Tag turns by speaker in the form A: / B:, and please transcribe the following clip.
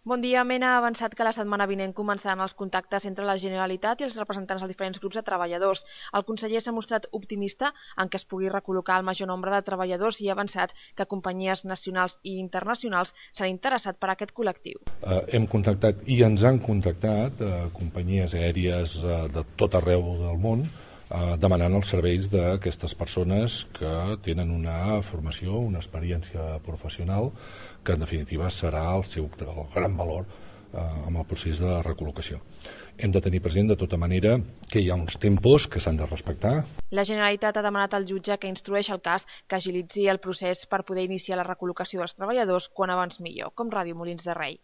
A: Bon dia. Mena ha avançat que la setmana vinent començaran els contactes entre la Generalitat i els representants dels diferents grups de treballadors. El conseller s'ha mostrat optimista en què es pugui recol·locar el major nombre de treballadors i ha avançat que companyies nacionals i internacionals s'han interessat per aquest col·lectiu.
B: Hem contactat i ens han contactat companyies aèries de tot arreu del món demanant els serveis d'aquestes persones que tenen una formació, una experiència professional que en definitiva serà el gran valor amb el procés de recol·locació. Hem de tenir present de tota manera que hi ha uns tempos que s'han de respectar.
A: La Generalitat ha demanat al jutge que instrueix el cas que agilitzi el procés per poder iniciar la recol·locació dels treballadors quan abans millor, com Ràdio Molins de Rei.